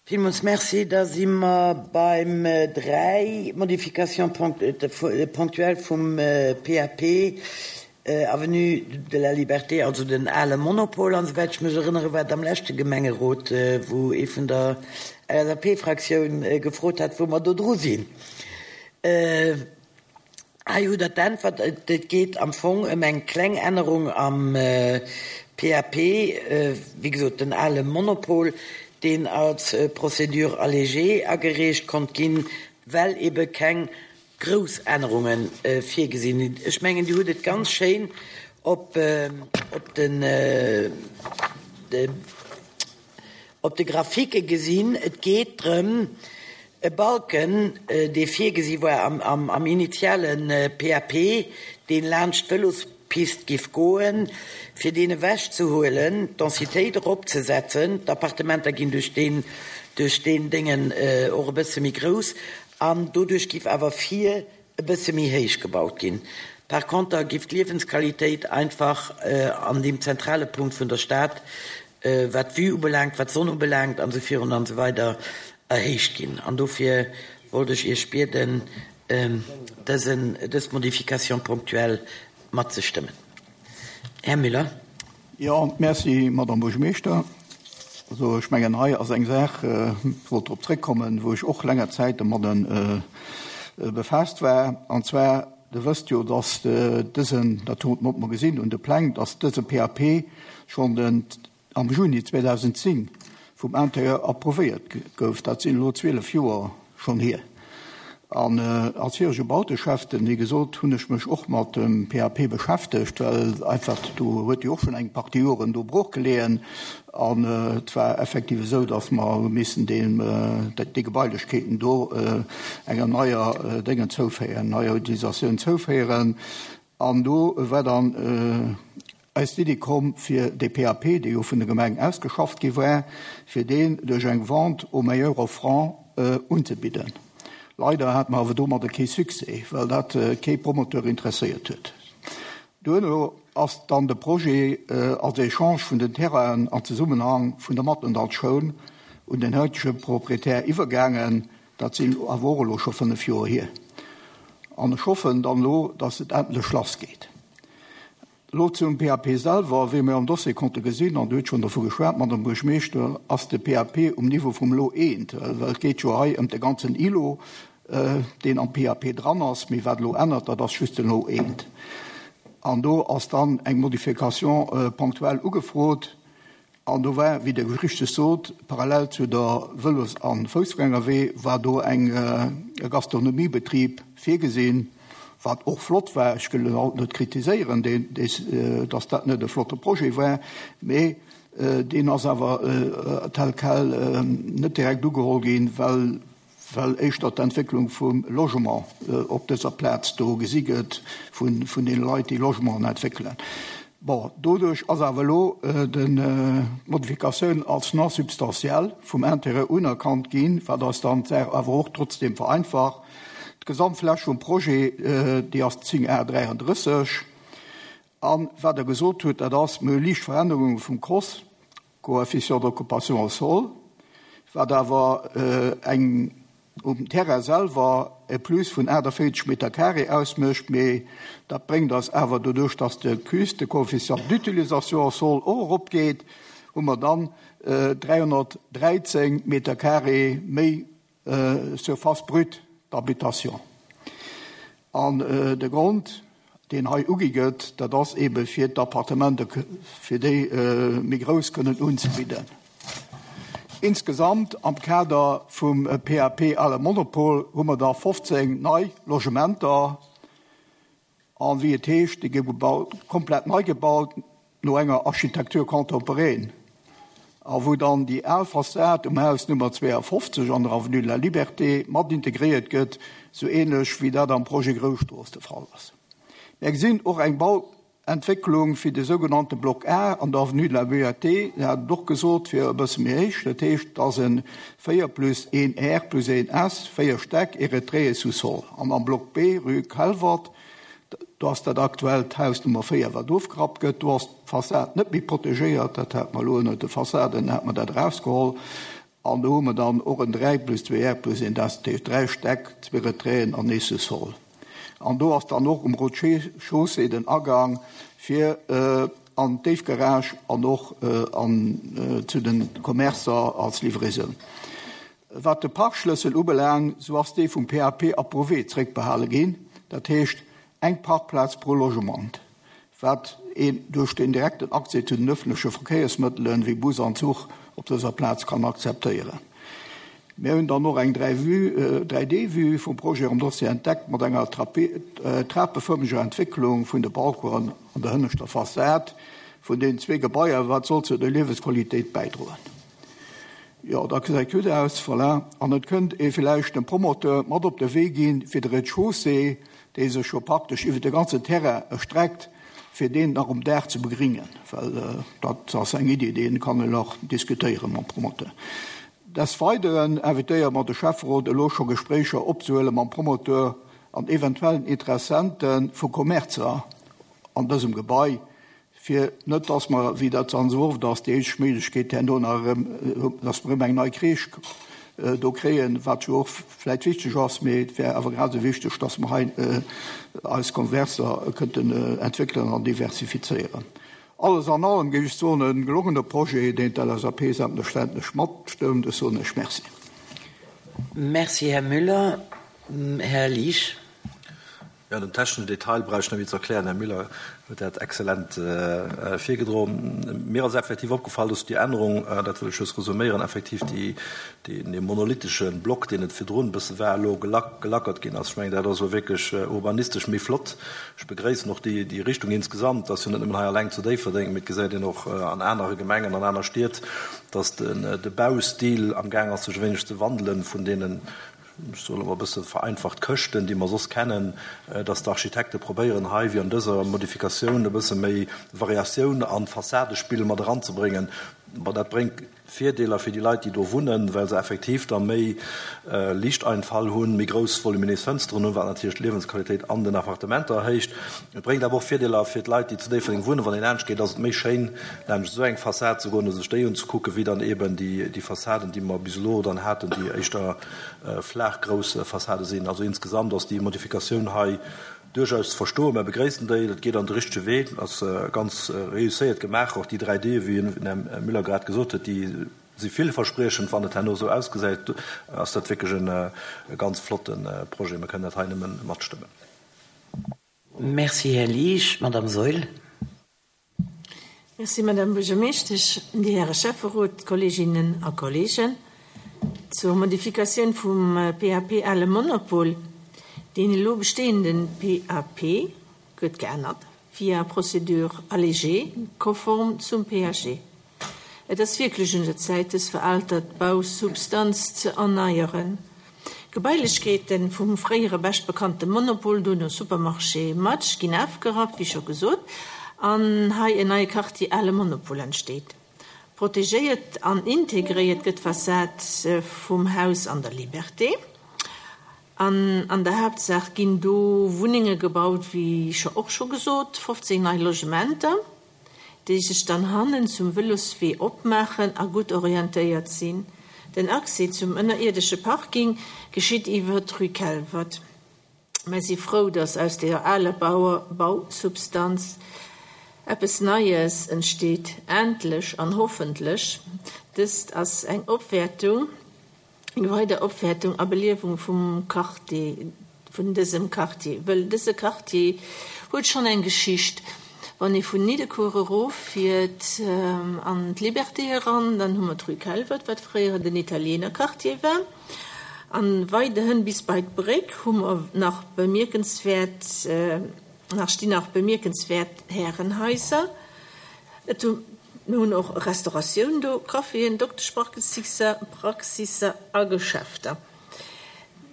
Villmools Merci. Da si mer beim 3, Modification ponctuelle vum PAP, Avenue de la Liberté, also den ale Monopol. An esouwäit ech mech erënnere war et am leschte Gemengerot, wou ee vun der LSAP-Fraktioun gefrot hat, wou mer do dru sinn. Hei hutt Der d'Äntwert. Et geet am Fong ëm eng kleng Ännerung am PAP, wéi gesot den ale Monopol, deen als Procédure allégée agereecht konnt ginn, well ebe keng grouss Ännerunge virgesinn sinn. Ech mengen, Dir hutt et ganz schéin op den Op de Graphike gesinn, et geet drëm, e Balken, dee virgesi war am initiale PAP, deen laanscht d'Vëlospist giff goen, fir deen ewechzehuelen, d'Densitéit eropzesetzen. D'Appartementer ginn duerch deen, duerch deen Déngen och e bësse méi grouss an doduerch giff awer vir e bësse méi héich gebaut ginn. Par conter giff d'Liewensqualitéit einfach an deem zentrale Punkt vun der Stad, wat d'Vue ubelaangt, wat d'Sonn ubelaangt an esou virun an esou weider erhéicht ginn. An dofir wollt ech Iech bieden, dësen, dës Modification ponctuelle matzestëmmen. Här Müller. Jo, merci, Madame Buergermeeschter. Also ech mengen, hei ass eng Saach, ech wollt drop zréckkommen, wou ech och länger Zäit domadde befaasst war. An zwar, Der wësst jo, dass dësen, dat huet mer gesinn un de Pläng, dass dëse PAP schonn den am Juni 2010 vum Intérieur approuvéiert gouf. Dat sinn elo 12 Joer schonn hier. An als virege Bauteschäfte, wéi gesot, hunn ech mech och mat dem PAP beschäftegt, well einfach do huet jo och schonn eng Partie Joren do brooch geleeën. An et war effektiv esou, datt mer hu missen deem, déi Gebailechkeeten do enger neier Déngen zouféieren, neier Utilisatioun zouféieren. An do war dann eis d'Iddi komm, fir dee PAP, dee jo vun der Gemeng ausgeschafft gi war, fir deen duerch eng Vente au meilleur offrant unzebidden. Leider hate mer awer domadder kee Succès, well dat kee Promoteur interesséiert huet. Duerno ass dann de Projet als Echange vun den Terrainen an Zesummenhang vun der Mathendahl-Schoul un den haitege Proprietär iwwergaangen. Dat sinn awer och elo scho 5 Joer hier. An ech hoffen dann elo, dass et endlech lassgeet. Elo zum PAP selwer, Wéi mir am Dossier konnte gesinn, an Dir hutt schonn dervu geschwat, Madame Buergmeeschter, ass de PAP um Niveau vum Lot eent, well et geet jo hei ëm de ganzen Îlot, deen am PAP dran ass. Mee wat elo ännert, dat ass just de Lot eent. An do ass dann eng Modification ponctuelle ugefrot. An do war, wéi Der richteg sot, parallel zu der Vëlos a Foussgängerwee war do eng e Gastronomiebetrib virgesinn, wat och flott war. Ech wëll en haut net kritiséieren, deen, dass dat net e flotte Projet war, mee deen ass awer tel quel net direkt ugeholl ginn, well well éischter d'Entwécklung vum Logement op dëser Plaz do gesi gëtt vun deene Leit, déi Logementen entwéckelen. Bon, doduerch ass awer elo d'Modifikatioun als non substantielle vum Intérêt unerkannt ginn, wat eis dann d'Saach awer och trotzdeem vereinfacht. D'Gesamtfläch vum Projet, déi ass 10 Ar 33. A wat Der gesot hutt, dat ass, mir hu liicht Verännerunge vum COS, Coefficient d'occupation au sol, wat awer eng um Terrain selwer e Plus vun 48 Meter carré ausmécht, mee dat bréngt eis awer, doduerch dass de CUS, de Coefficient d'utilisation au sol, och eropgeet, hu mer dann 313 Meter carré méi Surface brute d'habitation. An de Grond, deen hei ugi gëtt, dat ass eebe fir d'Appartementen, fir déi méi grouss kënnen unzebidden. Insgesamt am Kader vum PAP Ale Monopol hu mer da 15 nei Logementer. An wéi et heescht, déi gi gebaut, komplett nei gebaut no enger Architecture contemporaine, a wou dann déi al Fassad um Haus Nummer 52 an der Avenue de la Liberté mat integréiert gëtt, sou ähnlech wéi dat am Projet Groustrooss de Fall ass. Mär gesinn och eng Bauentwécklung fir de sougenannte Bloc A an der Avenue de la Liberté, Dir hat et och gesot, fir e bësse méi héich, dat heescht, et ass e 4 plus 1 R plus 1 S, 4 Stäck, e Retrait e Sous-sol. An am Bloc B, rue Calvert, do ass dat aktuellt Haus Nummer 4, wat ofgerappt gëtt. Do ass d'Fassad net méi protegéiert, dat hat mer elo ënnert de Fassaden, hat mer dat erausgeholl. An do hu mer dann och en 3 plus 2 R plus 1, dat heescht 3 Stäck, zwee Retraiten an ee Sous-sol. An do ass dann och um Rez-de-chaussée den Agang fir an d'Déifgarage an och an zu de Commercer als Livraison. Wat de Parkschlëssel ubelaangt, sou ass dee vum PAP approuvé zréckbehale ginn, dat heescht eng Parkplaz pro Logement, wat een duerch den direkten Accès zu den ëffentleche Verkéiersmëttelen, wéi Bus an Zuch, op dëser Plaz kann akzeptéieren. Mir hunn dann och eng 3D-Vue vum Projet am Dossier entdeckt, mat enger trapefërmeger Entwécklung vun de Balconen an der hënneschter Fassad vun deenen zwee Gebaier, wat soll zu der Liewesqualitéit bäidroen. Jo, dat gesäit gutt aus, voilà. An et kënnt ee villäicht dem Promoteur mat op de Wee ginn, fir de Rez-de-chaussée, dee sech jo praktesch iwwer de ganzen Terrain erstreckt, fir deen nach um Daach ze begringen, well dat ass eng Iddi, déi kann een och diskutéiere mam Promoteur. Des Weideren invitéiere mer de Schäfferot elo scho Gespréicher opzehuele mam Promoteur an eventuellen Interessente vu Commercer an dësem Gebai, fir net dass mer, wéi dat dann esou oft ass, déi eenzeg Méiglechkeet herno nach erëm, dass mer erëm eng nei Crèche do kréien, wat jo och vläicht wichteg ass, mee et wär awer grad esou wichteg, dass mer hei eis Converser kënnten entwéckelen an diversifizéieren. Alles an allem géif ech soen, e gelongene Projet, deen d'LSAP selbstverständlech matstëmmt. Ech soen Iech Merci. Merci, Här Müller. Här Liesch. Jo, den techneschen Detail brauch ech net méi ze erklären, Här Müller huet dat exzellent virgedroen. Mir ass effektiv opgefall, dass déi Ännerung, dat wëll ech just resuméieren, effektiv déi, dee monolithesche Block, deen et virdrun e bësse war, elo gelackert ginn ass. Ech mengen, dat ass elo wierklech urbanistesch méi flott. Ech begréissen och déi, déi Richtung insgesamt. Et ass jo net nëmmen hei alleng zu Déifferdeng, mee et gesäit een och an anere Gemengen, an aner Stied, dass de Baustil amgaang ass, sech e wéineg ze wandelen vun deenen, ech soen elo mol e bësse vereinfacht, Këschten, déi mer soss kennen, dass d'Architekte probéieren hei, wéi an dëser Modifikatioun, e bësse méi Variatioun an d'Fassadespill mat eranzebréngen. Bon, dat bréngt Virdeeler fir déi Leit, déi do wunnen, well se effektiv da méi Liichteinfall hunn, méi grouss voluminés Fënsteren hunn, wat natierlech d'Liewensqualitéit an den Appartementer erhéicht. Et bréngt awer och Virdeeler fir d'Leit, déi zu Déifferdeng wunnen. Wann een laanscht geet, ass et méi schéin, laanscht esou eng Fassad ze goen a sech déi unzekucken, wéi dann eeben déi Fassaden, déi mer bis elo dann haten, déi éischter flaach grouss Fassade sinn. Also insgesamt ass déi Modifikatioun hei duerchaus ze verstoen. Mer begréissen déi. Dat geet an de richtege Wee, ass ganz reusséiert gemaach. Och déi 3D, wéi den Här Müller grad gesot huet, déi si villverspriechend. Wann et herno esou ausgesäit, ass dat wierklech e ganz flotte Projet. Mer kënnen dat hei nëmme matstëmmen. Merci, Här Liesch. Madame Saeul. Merci, Madame Buergermeeschtesch, Dir Häre Schäfferot, Kolleeginnen a Kolleegen. Zur Modifikatioun vum PAP Ale Monopol, Deen elo bestehende PAP gëtt geännert via Procédure allégée, konform zum PAG. Et ass wierklech un der Zäit, dës veraltert Bausubstanz ze erneieren. D'Gebailechkeete vum fréiere beschtbekannte Monopol, dono Supermarché Match, ginn afgerappt, wéi scho gesot, an hei en neie Quartier Ale Monopol entsteet. Protegéiert an integréiert gëtt d'Fassad vum Haus an der Liberté. An an der Haaptsaach ginn do Wunnenge gebaut, wéi scho och scho gesot, 15 nei Logementer. déi sech dann hannen zum Vëloswee opmaachen a gutt orientéiert sinn. Den Accès zum ënnerierdesche Parking geschitt iwwer d'Rue Kelvert. Mer si frou, dass aus der aler Bausubstanz eppes Neies entsteet, endlech an hoffentlech. Dëst ass eng Opwäertung. Eng weider Opwäertung a Beliewung vum Quartier, vun dësem Quartier, wëll dëse Quartier huet schonn eng Geschicht. Wann ee vun Niddekuer eroffiert an d'Liberté eran, dann hu mer d'Rue Kelvert, wat fréier den Italienerquartier war. A weiderhin bis bei d'Bréck hu mer nach bemierkenswäert, nach stinn nach bemierkenswäert Härenhaiser. Et hu Mir hunn och Restauratioun do, Caféen, Dokteschpraxisser, Praxisser a Geschäfter.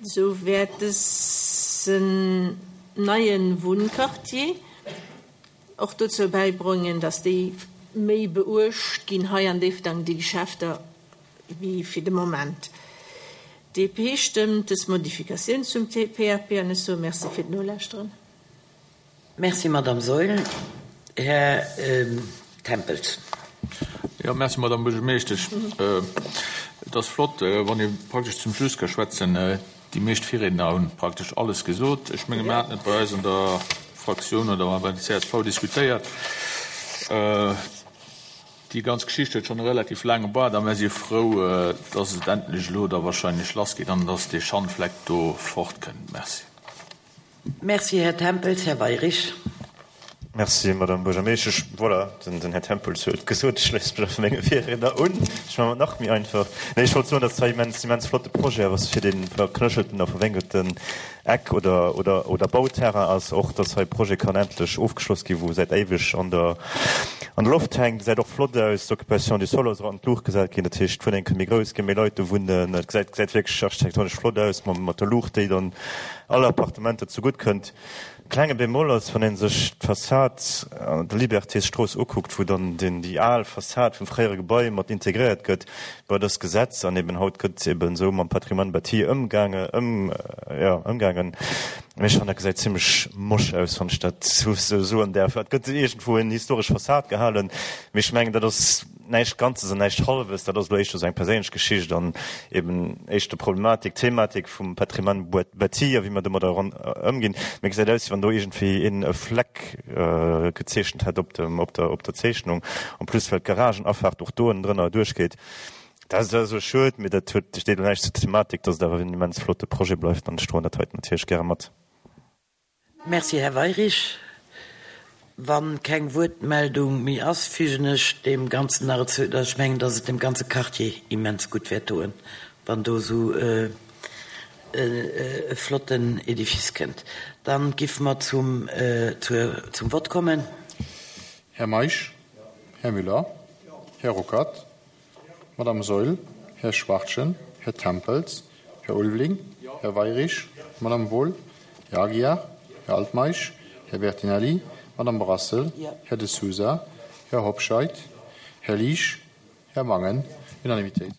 Esou wäert dësen neie Wunnquartier och dozou bäibroengen, datt déi méi beuecht ginn hei an Déifferdang, déi Geschäfter, wéi fir de Moment. DP stëmmt dës Modifikatioun zum PAP an ech soe Merci fir d'Nolauschteren. Merci, Madame Saeul. Här Tempels. Jo, merci, Madame Buergermeeschtesch. Et ass flott, wann ee praktesch zum Schluss ka schwätzen. Déi meescht Virriedner hunn praktesch alles gesot. Ech menge mir haten et bei eis an der Fraktioun oder bei der csv diskutéiert. Déi ganz Geschicht huet schonn e relativ laange Baart a mir si frou, dass et endlech elo da wahrscheinlech lassgeet an dass dee Schandfleck do fortkënnt. Merci. Merci, Här Tempels. Här Weirich. Merci, Madame Buergermeeschtesch. Voilà, den Här Tempels huet et gesot. Ech schléisse mech einfach menge Virriedner un. Ech maachen et nach méi einfach. Nee, ech wollt soen, dass dat hei immens, immens flotte Projet ass fir dee verknöchelten a verwénkelten Eck oder, oder, oder Bauterrain ass. Och, dass hei e Projet kann endlech ofgeschloss ginn, wou säit éiweg an der, an der Loft hänkt. Gesäit och flott aus. D'Occupation du sol ass och an d'Luucht gesat ginn. Dat heescht, d'Wunnenge kënne méi grouss ginn, méi Leit do wunnen. Et gesäit, gesäit wierklech architektonesch flott aus, mam, mat der Luucht, déi dann alle Appartementer zegutt kënnt. Klenge Bémol ass, wann ee sech d'Fassad an der Libertésstrooss ukuckt, wou dann den, déi al Fassad vum fréiere Gebai mat integréiert gëtt, bon, dat ass Gesetz an eben haut gëtt eben esou mam Patrimoine bâti ëmgaange, ëm, jo, ëmgaangen. Mee ech fannen, dat gesäit zimlech mosch aus, wann ech dat esou soen däerf. Et gëtt iergendwou en historesch Fassad gehalen, mee ech mengen, dat ass, Näischt Ganzes an näischt Hallwes, dat ass elo éischter esou eng perséinlech Geschicht an eben éischter Problematik, Thematik vum Patrimoine bâti a wéi mer domadder ëmginn. Mir gesäit aus, wéi wann do iergendwéi een e Fleck gezeechent hätt op dem, op der, op der Zeechnung. En plus well d'Garagenafaart och do ënnendrënner duerchgeet. Dat ass esou schued, mee dat huet, steet elo näischt zur Thematik, dass et awer en immens flotte Projet bleift an ech droen dat heiten natierlech gäre mat. Merci, Här Weirich. Wa keng Wuertmeldung méi ass, fügen ech deem Ganzen nach ezou, dass ech mengen, dass et dem ganze Quartier immens gutt wäert doen, wann do esou e flotten Edifice kënnt. Dann giffe mer zum, zum Vott kommen. Här Meisch, Här Müller, Här Ruckert, Madame Saeul, Här Schwachtgen, Här Tempels, Här Ulveling, Här Weirich, Madame Wohl, Här Aguiar, Här Altmeisch, Här Bertinelli, Madame Brassel, Här De Sousa, Här Hobscheit, Här Liesch, Här Mangen. Unanimitéit.